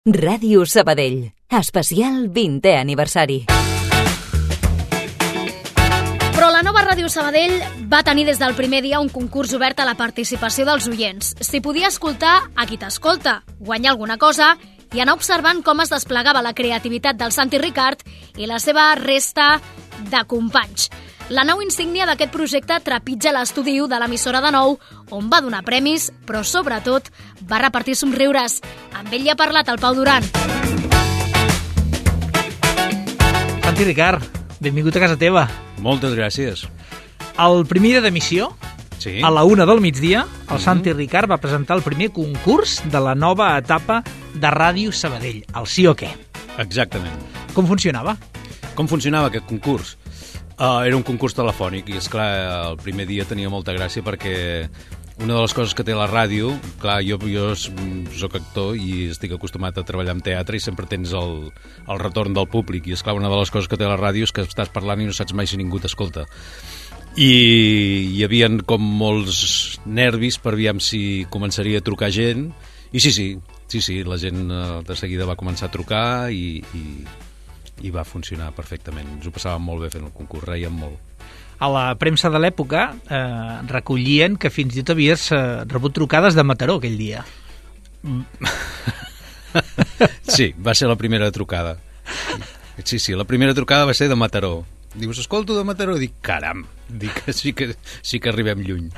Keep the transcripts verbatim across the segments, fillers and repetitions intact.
Ràdio Sabadell, especial vintè aniversari. Però la nova Ràdio Sabadell va tenir des del primer dia un concurs obert a la participació dels oients. S'hi podia escoltar a qui t'escolta, guanyar alguna cosa i anar observant com es desplegava la creativitat del Santi Ricard i la seva resta de companys. La nau insígnia d'aquest projecte trepitja l'estudi u de l'emissora de nou, on va donar premis, però sobretot va repartir somriures. Amb ell hi ha parlat el Pau Duran. Santi Ricard, benvingut a casa teva. Moltes gràcies. El primer dia d'emissió, Sí. a la una del migdia, el Santi Ricard va presentar el primer concurs de la nova etapa de Ràdio Sabadell, el Sí o Què. Exactament. Com funcionava? Com funcionava aquest concurs? Uh, era un concurs telefònic i, esclar, el primer dia tenia molta gràcia perquè una de les coses que té la ràdio, clar, jo, jo soc actor i estic acostumat a treballar en teatre i sempre tens el, el retorn del públic i, esclar, una de les coses que té la ràdio és que estàs parlant i no saps mai si ningú t'escolta. I hi havia com molts nervis per aviam si començaria a trucar gent i sí, sí, sí, sí, la gent uh, de seguida va començar a trucar i... i i va funcionar perfectament. Ens ho passàvem molt bé fent el concurs, reiem molt. A la premsa de l'època eh, recollien que fins i tot havies eh, rebut trucades de Mataró aquell dia. Sí, va ser la primera trucada. Sí, sí, la primera trucada va ser de Mataró. Dius, escolto de Mataró? Dic, caram, dic que sí que, sí que arribem lluny.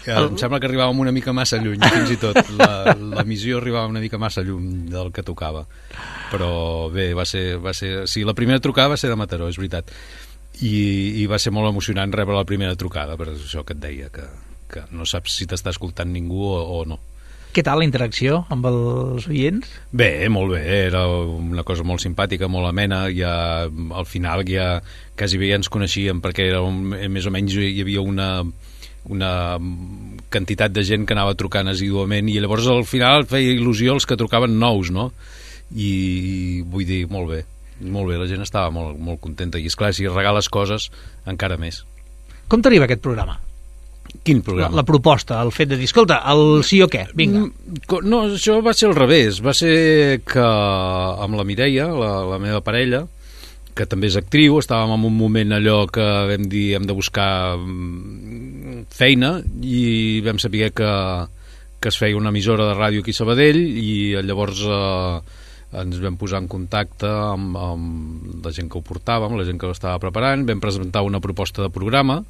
El... Em sembla que arribàvem una mica massa lluny, fins i tot. La, la missió arribava una mica massa lluny del que tocava. Però bé, va ser, va ser... Sí, la primera trucada va ser de Mataró, és veritat. I, i va ser molt emocionant rebre la primera trucada, per això que et deia, que, que no saps si t'està escoltant ningú o, o no. Què tal la interacció amb els oients? Bé, molt bé, era una cosa molt simpàtica, molt amena, ja al final ja quasi bé ja ens coneixíem perquè era un, més o menys hi havia una... una quantitat de gent que anava trucant assíduament i llavors al final feia il·lusió els que trucaven nous, no? I vull dir, molt bé, molt bé, la gent estava molt, molt contenta i esclar, si regales coses, encara més. Com t'arriba aquest programa? Quin programa? La, la proposta, el fet de dir, escolta, el Sí o Què, vinga. No, això va ser al revés, va ser que amb la Mireia, la, la meva parella, que també és actriu, estàvem en un moment allò que vam dir hem de buscar feina i vam saber que, que es feia una emissora de ràdio aquí a Sabadell i llavors eh, ens vam posar en contacte amb, amb la gent que ho portava, amb la gent que ho estava preparant, vam presentar una proposta de programa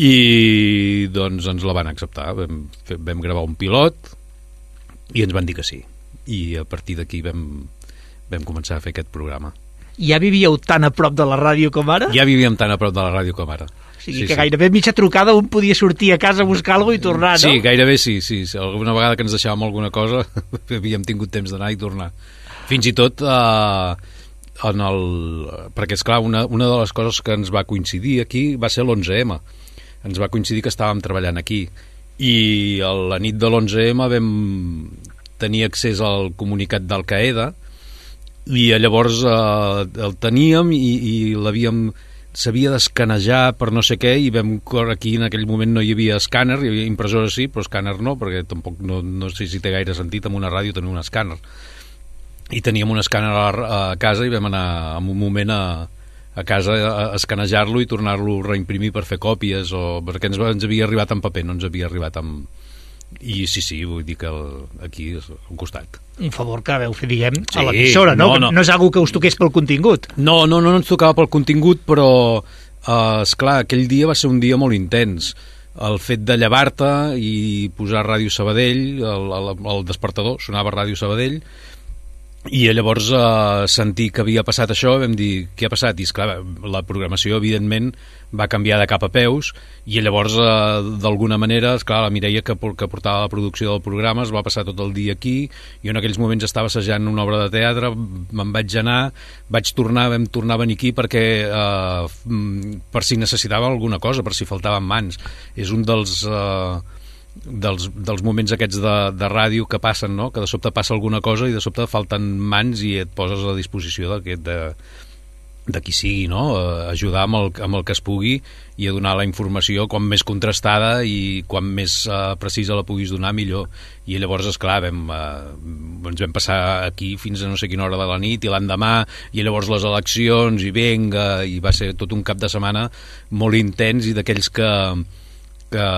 i doncs ens la van acceptar, vam, fer, vam gravar un pilot i ens van dir que sí i a partir d'aquí vam, vam començar a fer aquest programa. Ja vivíeu tan a prop de la ràdio com ara? Ja vivíem tan a prop de la ràdio com ara. O sigui sí, que sí. Gairebé mitja trucada un podia sortir a casa a buscar alguna cosa i tornar, no? Sí, gairebé sí, sí. Alguna vegada que ens deixàvem alguna cosa havíem tingut temps d'anar i tornar. Fins i tot eh, en el... perquè esclar, una, una de les coses que ens va coincidir aquí va ser l'onze ema. Ens va coincidir que estàvem treballant aquí i a la nit de l'onze ema vam tenir accés al comunicat d'Al-Qaeda i llavors eh, el teníem i, i l'havíem s'havia d'escanejar per no sé què i vam aquí en aquell moment no hi havia escàner, hi havia impressora sí, però escàner no, perquè tampoc no, no sé si té gaire sentit amb una ràdio tenir un escàner i teníem un escàner a, a casa i vam anar en un moment a, a casa a escanejar-lo i tornar-lo a reimprimir per fer còpies o perquè ens, ens havia arribat en paper, no ens havia arribat en... I sí, sí, vull dir que el, aquí és al costat. Un favor que veu fer, diguem, sí, a l'emissora, no? No, no? No és algo que us toqués pel contingut. No, no, no, no ens tocava pel contingut, però, eh, esclar, aquell dia va ser un dia molt intens. El fet de llevar-te i posar Ràdio Sabadell, el, el, el despertador, sonava Ràdio Sabadell, i llavors eh, sentir que havia passat això, vam dir, què ha passat? I esclar, la programació, evidentment, va canviar de cap a peus, i llavors, eh, d'alguna manera, esclar, la Mireia, que, que portava la producció del programa, es va passar tot el dia aquí, i en aquells moments estava assajant una obra de teatre, me'n vaig anar, vaig tornar, vam tornar a venir aquí perquè, eh, per si necessitava alguna cosa, per si faltaven mans. És un dels... Eh, Dels, dels moments aquests de, de ràdio que passen, no? Que de sobte passa alguna cosa i de sobte falten mans i et poses a disposició d'aquest de, de qui sigui, no? Ajudar amb el, amb el que es pugui i a donar la informació com més contrastada i quan més uh, precisa la puguis donar, millor. I llavors, esclar, vam, uh, ens vam passar aquí fins a no sé quina hora de la nit i l'endemà, i llavors les eleccions, i venga, i va ser tot un cap de setmana molt intens i d'aquells que, que,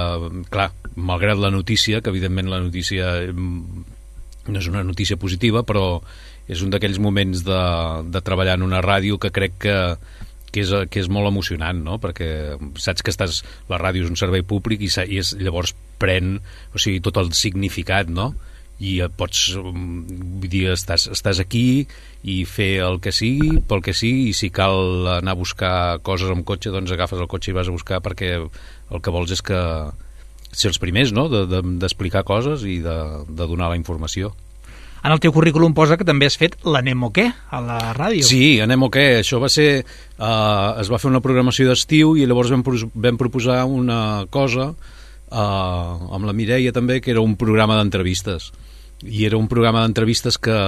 clar, malgrat la notícia, que evidentment la notícia no és una notícia positiva, però és un d'aquells moments de, de treballar en una ràdio que crec que, que, és, que és molt emocionant, no? Perquè saps que estàs, la ràdio és un servei públic i, i és, llavors pren, o sigui, tot el significat, no? I pots, vull dir, estàs, estàs aquí i fer el que sigui, pel que sigui, i si cal anar a buscar coses amb cotxe, doncs agafes el cotxe i vas a buscar, perquè el que vols és que ser els primers, no? De, de, d'explicar coses i de, de donar la informació. En el teu currículum posa que també has fet l'Anem o què a la ràdio. Sí, Anem o què. Això va ser... Uh, es va fer una programació d'estiu i llavors vam, vam proposar una cosa uh, amb la Mireia també, que era un programa d'entrevistes. I era un programa d'entrevistes que,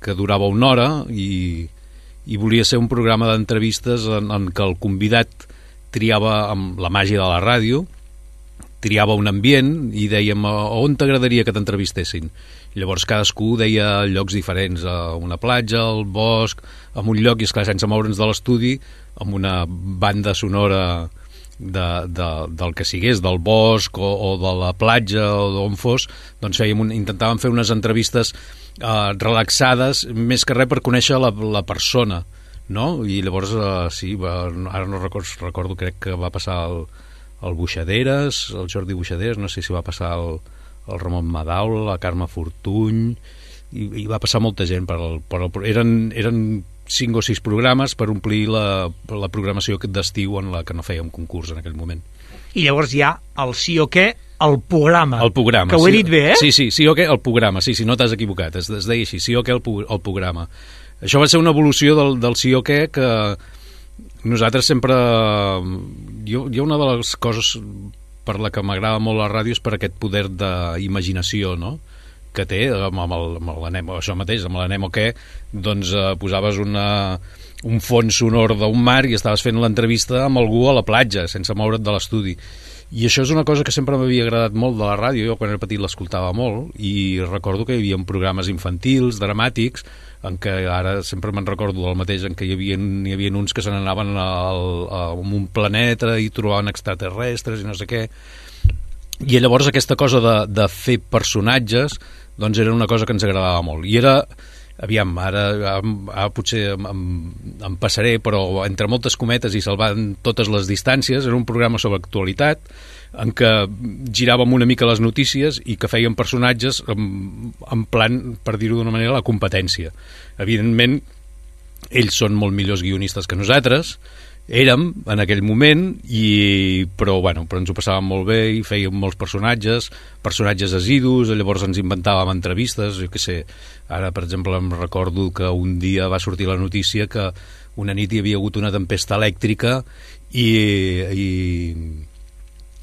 que durava una hora i, i volia ser un programa d'entrevistes en, en què el convidat triava, amb la màgia de la ràdio, triava un ambient i dèiem on t'agradaria que t'entrevistessin. Llavors cadascú deia llocs diferents, a una platja, al bosc, en un lloc, i esclar, sense moure'ns de l'estudi, amb una banda sonora de, de, del que sigués, del bosc o, o de la platja o d'on fos, doncs fèiem un, intentàvem fer unes entrevistes eh, relaxades, més que res per conèixer la, la persona, no? I llavors, eh, sí, va, ara no recordo, recordo, crec que va passar el, el Buixaderes, el Jordi Buixaderes, no sé si va passar el el Ramon Madaula, la Carme Fortuny, i, i va passar molta gent per el, per el, eren, eren cinc o sis programes per omplir la, la programació d'estiu en la que no fèiem concurs en aquell moment. I llavors hi ha el sí o què, el programa. El programa. Que ho he sí, dit bé, eh? Sí, sí, sí o què, el programa. Sí, sí, no t'has equivocat, es, es deia així, sí o què, el, el programa. Això va ser una evolució del, del sí o què que nosaltres sempre... Jo, jo una de les coses per la que m'agrada molt la ràdio és per aquest poder d'imaginació, no?, que té amb, amb, el, amb l'Anem, això mateix, amb l'Anem o què, doncs eh, posaves una, un fons sonor d'un mar i estaves fent l'entrevista amb algú a la platja, sense moure't de l'estudi. I això és una cosa que sempre m'havia agradat molt de la ràdio, jo quan era petit l'escoltava molt, i recordo que hi havia programes infantils, dramàtics, en què ara sempre me'n recordo del mateix, en què hi havia, hi havia uns que se n'anaven al, a un planeta i trobaven extraterrestres i no sé què. I llavors aquesta cosa de, de fer personatges doncs era una cosa que ens agradava molt. I era, aviam, ara, ara potser em, em, em passaré, però entre moltes cometes i salvant totes les distàncies, era un programa sobre actualitat en què giràvem una mica les notícies i que fèiem personatges en, en plan, per dir-ho d'una manera, la competència. Evidentment, ells són molt millors guionistes que nosaltres, érem en aquell moment, i, però, bueno, però ens ho passàvem molt bé i fèiem molts personatges, personatges assidus, llavors ens inventàvem entrevistes, jo què sé, ara, per exemple, em recordo que un dia va sortir la notícia que una nit hi havia hagut una tempesta elèctrica i... i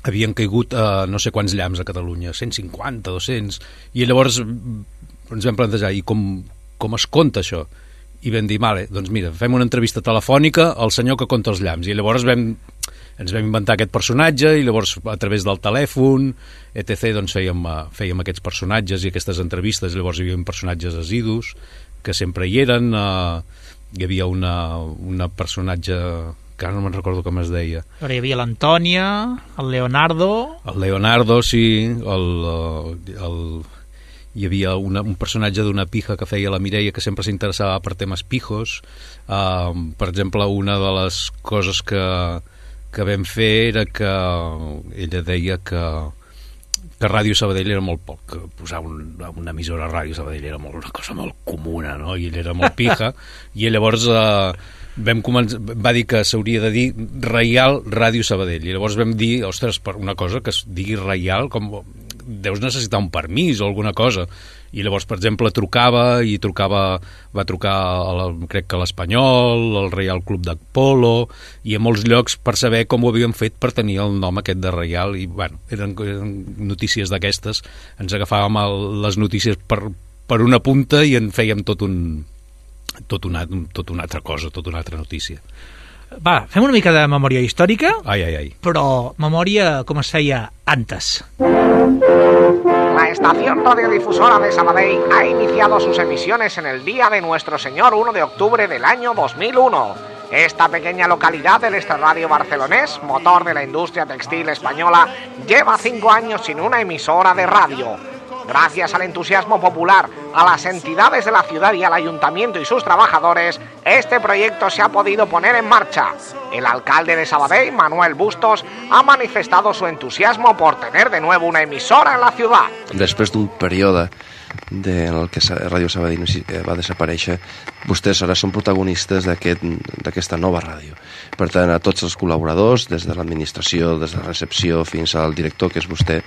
havien caigut a no sé quants llamps a Catalunya, cent cinquanta, dos-cents, i llavors ens vam plantejar, i com, com es compta això? I vam dir, vale, doncs mira, fem una entrevista telefònica al senyor que compta els llamps, i llavors vam, ens vam inventar aquest personatge, i llavors a través del telèfon, etcètera, doncs fèiem, fèiem aquests personatges i aquestes entrevistes, llavors hi havia personatges assidus, que sempre hi eren, eh, hi havia una, una personatge... que ara no me'n recordo com es deia. Però hi havia l'Antònia, el Leonardo... El Leonardo, sí, el, el, hi havia una, un personatge d'una pija que feia la Mireia que sempre s'interessava per temes pijos. Uh, per exemple, una de les coses que, que vam fer era que ella deia que que Ràdio Sabadell era molt poc, que posar un, una emissora a Ràdio Sabadell era molt, una cosa molt comuna, no? I ell era molt pija, i llavors eh, vam començar, va dir que s'hauria de dir Reial Ràdio Sabadell, i llavors vam dir, ostres, per una cosa que es digui Reial, com deus necessitar un permís o alguna cosa, i llavors, per exemple, trucava i trucava, va trucar a la, crec que a l'Espanyol, al Reial Club d'Apolo, i a molts llocs per saber com ho havíem fet per tenir el nom aquest de Reial, i bueno, eren, eren notícies d'aquestes, ens agafàvem el, les notícies per, per una punta i en fèiem tot un, tot una, tot una altra cosa, tot una altra notícia. Va, fem una mica de memòria històrica, Ai, ai, ai. però memòria com es feia antes. La estación radiodifusora de Sabadell ha iniciado sus emisiones en el día de Nuestro Señor uno de octubre del año dos mil uno. Esta pequeña localidad del extrarradio barcelonés, motor de la industria textil española, lleva cinco años sin una emisora de radio. Gracias al entusiasmo popular, a las entidades de la ciudad y al ayuntamiento y sus trabajadores, este proyecto se ha podido poner en marcha. El alcalde de Sabadell, Manuel Bustos, ha manifestado su entusiasmo por tener de nuevo una emisora en la ciudad. Després d'un període de, en el que Ràdio Sabadell va desaparèixer, vostès ara són protagonistes d'aquesta aquest, nova ràdio. Per tant, a tots els col·laboradors, des de l'administració, des de la recepció fins al director, que és vostè,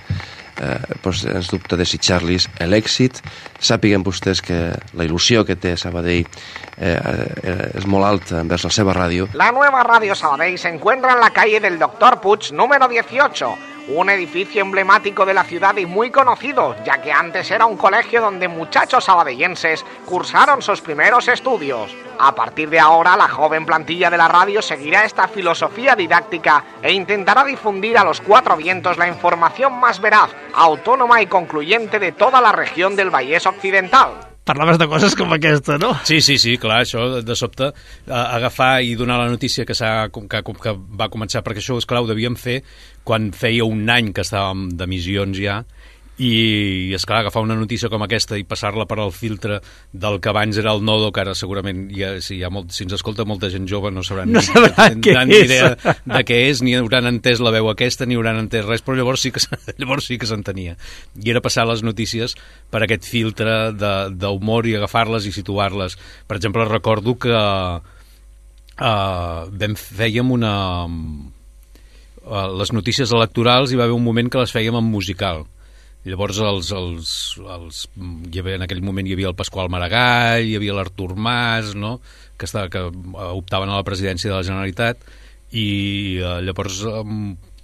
eh, doncs ens dubte desitjar-los l'èxit. Sàpiguen vostès que la il·lusió que té Sabadell eh, eh, és molt alta envers la seva ràdio. La nueva Radio Sabadell se encuentra en la calle del Doctor Puig, número dieciocho, un edificio emblemático de la ciudad y muy conocido, ya que antes era un colegio donde muchachos sabadellenses cursaron sus primeros estudios. A partir de ahora, la joven plantilla de la radio seguirá esta filosofía didáctica e intentará difundir a los cuatro vientos la información más veraz, autónoma y concluyente de toda la región del Vallès Occidental. Parlaves de coses com aquesta, no? Sí, sí, sí, clar, això de sobte eh, agafar i donar la notícia que, que, que va començar, perquè això, esclar, ho devíem fer quan feia un any que estàvem d'emissions ja, i, esclar, agafar una notícia com aquesta i passar-la per al filtre del que abans era el Nodo, que ara segurament ja, si, hi ha molt, si ens escolta molta gent jove no sabran, no sabran ni, què ni és. idea de què és, ni hauran entès la veu aquesta, ni hauran entès res, però llavors sí que, llavors sí que s'entenia. I era passar les notícies per aquest filtre d'humor i agafar-les i situar-les. Per exemple, recordo que uh, vam, fèiem una... Uh, les notícies electorals hi va haver un moment que les fèiem en musical. Llavors els, els, els, hi havia, en aquell moment hi havia el Pasqual Maragall, hi havia l'Artur Mas, no? que, estava, que optaven a la presidència de la Generalitat, i eh, llavors eh,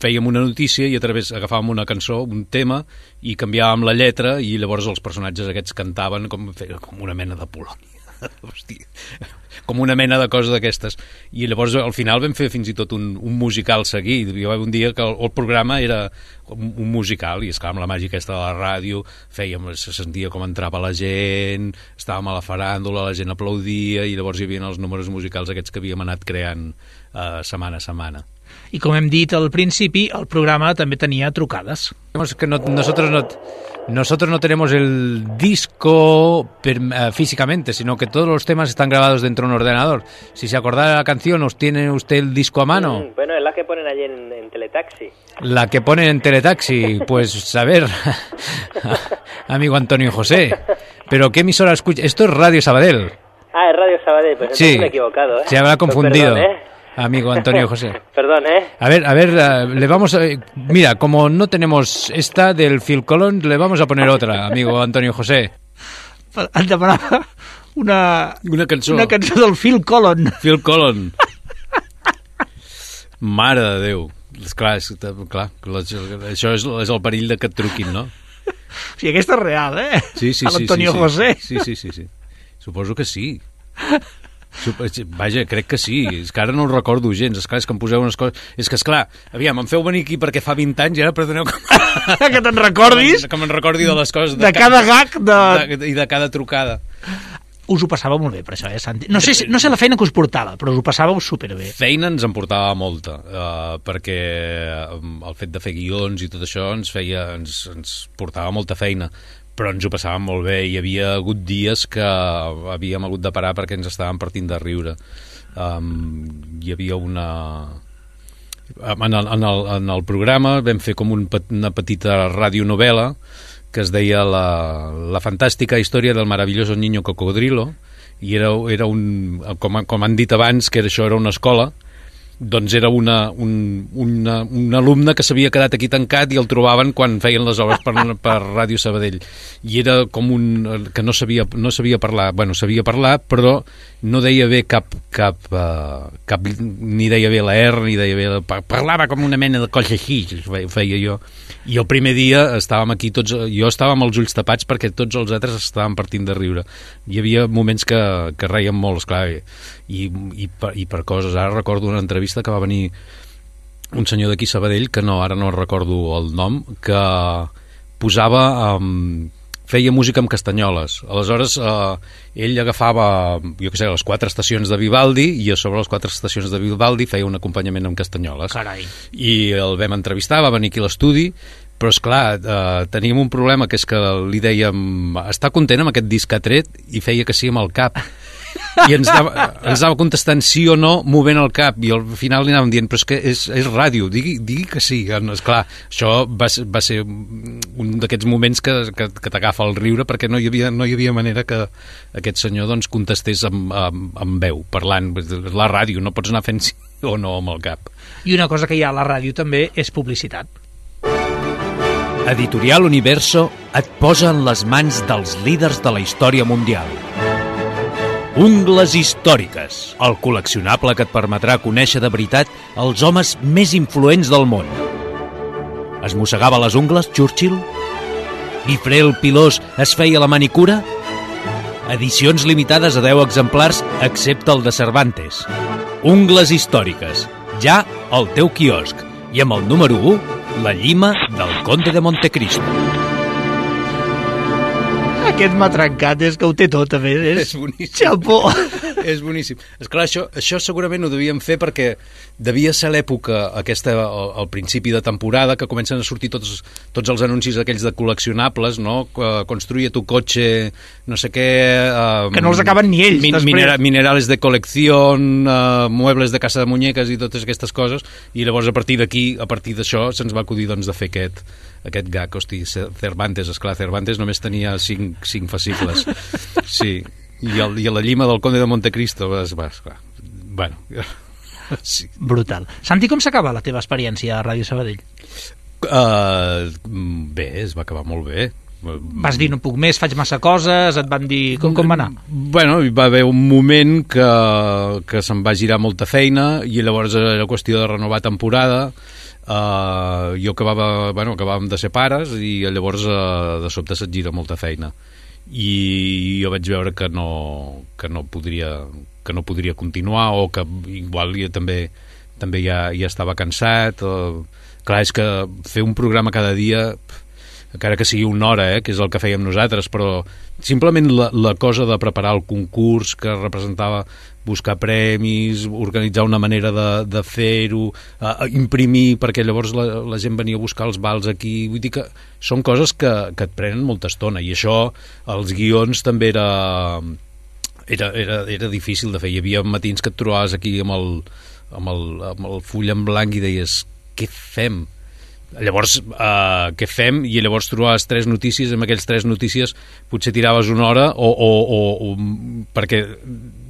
fèiem una notícia i a través agafàvem una cançó, un tema, i canviàvem la lletra, i llavors els personatges aquests cantaven com, com una mena de Polònia. Hosti, com una mena de cosa d'aquestes. I llavors al final vam fer fins i tot un, un musical seguit. Hi va haver un dia que el, el programa era un, un musical, i esclar, amb la màgia aquesta de la ràdio fèiem, se sentia com entrava la gent, estàvem a la faràndula, la gent aplaudia, i llavors hi havia els números musicals aquests que havíem anat creant eh, setmana a setmana. I com hem dit al principi, el programa també tenia trucades. Es que no, nosotros no... Nosotros no tenemos el disco per, uh, físicamente, sino que todos los temas están grabados dentro de un ordenador. Si se acordara de la canción, ¿os tiene usted el disco a mano? Mm, bueno, es la que ponen allí en, en Teletaxi. La que ponen en Teletaxi, pues a ver, amigo Antonio José, ¿pero qué emisora escucha? Esto es Radio Sabadell. Ah, es Radio Sabadell, pues entonces sí, me he equivocado, ¿eh? Se habrá confundido. Perdón, ¿eh? Amigo Antonio José. Perdón, ¿eh? A ver, a ver, uh, le vamos a... Mira, como no tenemos esta del Phil Collins, le vamos a poner otra, amigo Antonio José. Et demanava una... Una cançó. Una cançó del Phil Collins. Phil Collins. Mare de Déu. Esclar, és, clar, això és, és el perill de que et truquin, no? O sigui, aquesta és real, eh? Sí, sí, sí. L'Antonio sí, sí. José. Sí, sí, sí, sí. Suposo que sí. Vaja, crec que sí. És que ara no ho recordo gens. Esclar, és que em poseu unes coses... És que, esclar, aviam, em feu venir aquí perquè fa vint anys i ara perdoneu que... que te'n recordis. Que me'n recordi de les coses. De, de cada gag. De... de... I de cada trucada. Us ho passàveu molt bé, per això, eh, Santi? No sé, no sé la feina que us portava, però us ho passàveu superbé. Feina ens en portava molta, uh, perquè el fet de fer guions i tot això ens feia, ens, ens portava molta feina, però ens ho passàvem molt bé. Hi havia hagut dies que havíem hagut de parar perquè ens estàvem partint de riure. Um, hi havia una... En el, en, el, en el programa vam fer com un, una petita radionovela que es deia la, la fantàstica història del maravilloso niño cocodrilo, i era, era un, com, com han dit abans, que això era una escola, doncs era una, un, una, un alumne que s'havia quedat aquí tancat i el trobaven quan feien les obres per, per Ràdio Sabadell, i era com un... que no sabia, no sabia parlar, bueno, sabia parlar, però no deia bé cap, cap, uh, cap ni deia bé la R, ni deia bé la... parlava com una mena de cosa així, feia jo. I el primer dia estàvem aquí tots, jo estava amb els ulls tapats perquè tots els altres estaven partint de riure. Hi havia moments que, que reiem molt, esclar, i, i, per, i per coses. Ara recordo una entrevista que va venir un senyor d'aquí Sabadell, que no, ara no recordo el nom, que posava... Um, feia música amb castanyoles. Aleshores, eh, ell agafava, jo què sé, les quatre estacions de Vivaldi i a sobre les quatre estacions de Vivaldi feia un acompanyament amb castanyoles. Carai. I el vam entrevistar, va venir aquí a l'estudi, però, esclar, eh, teníem un problema, que és que li dèiem està content amb aquest disc que ha tret? I feia que sí amb el cap. I ens anava, ens anava contestant sí o no movent el cap, i al final li anàvem dient però és que és, és ràdio, digui, digui que sí. Esclar, això va, va ser un d'aquests moments que, que, que t'agafa el riure, perquè no hi havia, no hi havia manera que aquest senyor doncs, contestés amb, amb, amb veu, parlant. La ràdio, no pots anar fent sí o no amb el cap. I una cosa que hi ha a la ràdio també és publicitat. Editorial Universo et posa en les mans dels líders de la història mundial. Ungles històriques, el col·leccionable que et permetrà conèixer de veritat els homes més influents del món. Es mossegava les ungles, Churchill? Guifré el Pilós es feia la manicura? Edicions limitades a deu exemplars, excepte el de Cervantes. Ungles històriques, ja al teu quiosc. I amb el número u, la llima del Conde de Montecristo. Aquest m'ha trencat, és que ho té tot, també. És, és boníssim. Xapó. És boníssim. Esclar, això, això segurament ho devíem fer perquè devia ser l'època aquesta, al, al principi de temporada, que comencen a sortir tots, tots els anuncis aquells de col·leccionables, no? Construye tu cotxe, no sé què... Um, que no els acaben ni ells, min, minera, minerales de col·lección, uh, muebles de casa de muñeques i totes aquestes coses, i llavors a partir d'aquí, a partir d'això, se'ns va acudir doncs, de fer aquest, aquest gag. Hosti, Cervantes, esclar, Cervantes només tenia cinc, cinc fascicles. Sí. I, el, i a la llima del Conde de Montecristo va, va, esclar. Bueno, sí. Brutal. Santi, com s'acaba la teva experiència a Ràdio Sabadell? Uh, bé, es va acabar molt bé. Vas dir no puc més, faig massa coses, et van dir... Com, com va anar? Bueno, hi va haver un moment que, que se'm va girar molta feina i llavors era qüestió de renovar temporada. Uh, jo acabava, bueno, acabàvem de ser pares i llavors uh, de sobte se't gira molta feina. I jo vaig veure que no, que no podria que no podria continuar, o que igual jo també també ja, ja estava cansat. O... Clar, és que fer un programa cada dia, encara que sigui una hora, eh, que és el que fèiem nosaltres, però simplement la, la cosa de preparar el concurs, que representava buscar premis, organitzar una manera de, de fer-ho, uh, imprimir, perquè llavors la, la gent venia a buscar els vals aquí. Vull dir que són coses que, que et prenen molta estona, i això, els guions també era, era, era, era difícil de fer. Hi havia matins que et trobaves aquí amb el, amb el, amb el full en blanc i deies, què fem? Llavors, uh, què fem? I llavors trobaves tres notícies, amb aquells tres notícies potser tiraves una hora, o, o, o, o perquè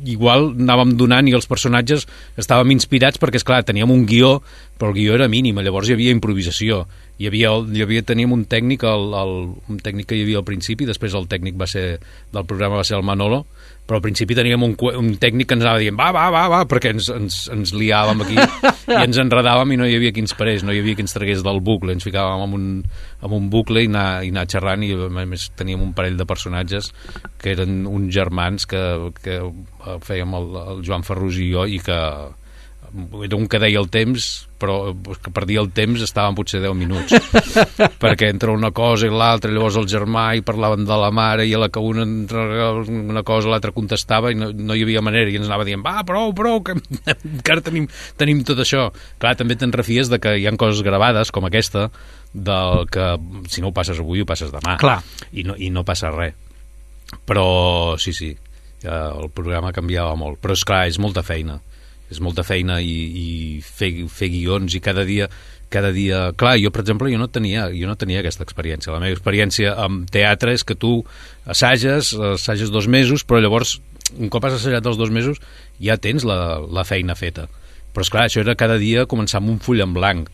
igual anàvem donant i els personatges estàvem inspirats perquè, esclar, teníem un guió, però el guió era mínim, llavors hi havia improvisació. Hi havia, hi havia, teníem un tècnic, el, el, un tècnic que hi havia al principi, després el tècnic va ser, del programa va ser el Manolo, però al principi teníem un, un tècnic que ens anava dient va, va, va, va, perquè ens, ens, ens liàvem aquí i ens enredàvem i no hi havia qui ens parés, no hi havia qui ens tragués del bucle, ens ficàvem en un, en un bucle i anar, i anar xerrant, i a més teníem un parell de personatges que eren uns germans que, que fèiem el, el Joan Ferrús i jo, i que era un que deia el temps, però que per dir el temps estaven potser deu minuts perquè entre una cosa i l'altra, llavors el germà i parlaven de la mare, i a la que una una cosa l'altra contestava i no, no hi havia manera, i ens anava dient va, prou, prou, que encara tenim, tenim tot això. Clar, també te'n refies de que hi ha coses gravades com aquesta, del que si no ho passes avui ho passes demà. Clar. I no, i no passa res, però sí, sí, el programa canviava molt, però és clar, és molta feina és molta feina i, i fer, fer guions, i cada dia cada dia, clar, jo per exemple jo no tenia, jo no tenia aquesta experiència. La meva experiència amb teatre és que tu assages, assages dos mesos, però llavors un cop has assajat els dos mesos ja tens la, la feina feta, però esclar, això era cada dia començar amb un full en blanc.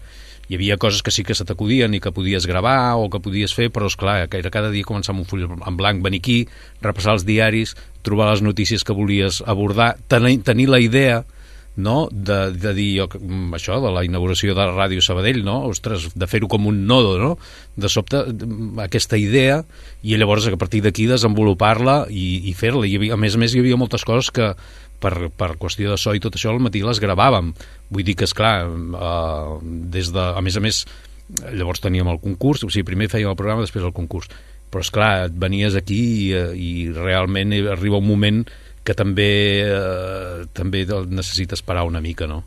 hi havia coses que sí que se t'acudien i que podies gravar o que podies fer, però esclar, que era cada dia començar amb un full en blanc, venir aquí, repassar els diaris, trobar les notícies que volies abordar, tenir, tenir la idea, no? de, de dir jo, això, de la inauguració de Ràdio Sabadell, no? Ostres, de fer-ho com un nodo, no? De sobte, aquesta idea, i llavors a partir d'aquí desenvolupar-la i, i fer-la. I havia, a més a més, hi havia moltes coses que per, per qüestió de so i tot això al matí les gravàvem. Vull dir que, esclar, eh, des de, a més a més, llavors teníem el concurs, o sigui, primer fèiem el programa, després el concurs. Però, esclar, et venies aquí i, i realment arriba un moment que també eh, també necessites parar una mica, no?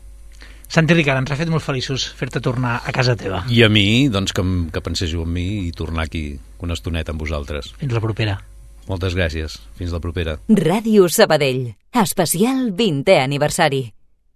Santi Ricard, ens ha fet molt feliços fer-te tornar a casa teva. I a mi, doncs, que, que penséssiu en mi i tornar aquí una estoneta amb vosaltres. Fins la propera. Moltes gràcies. Fins la propera. Ràdio Sabadell. Especial vintè aniversari.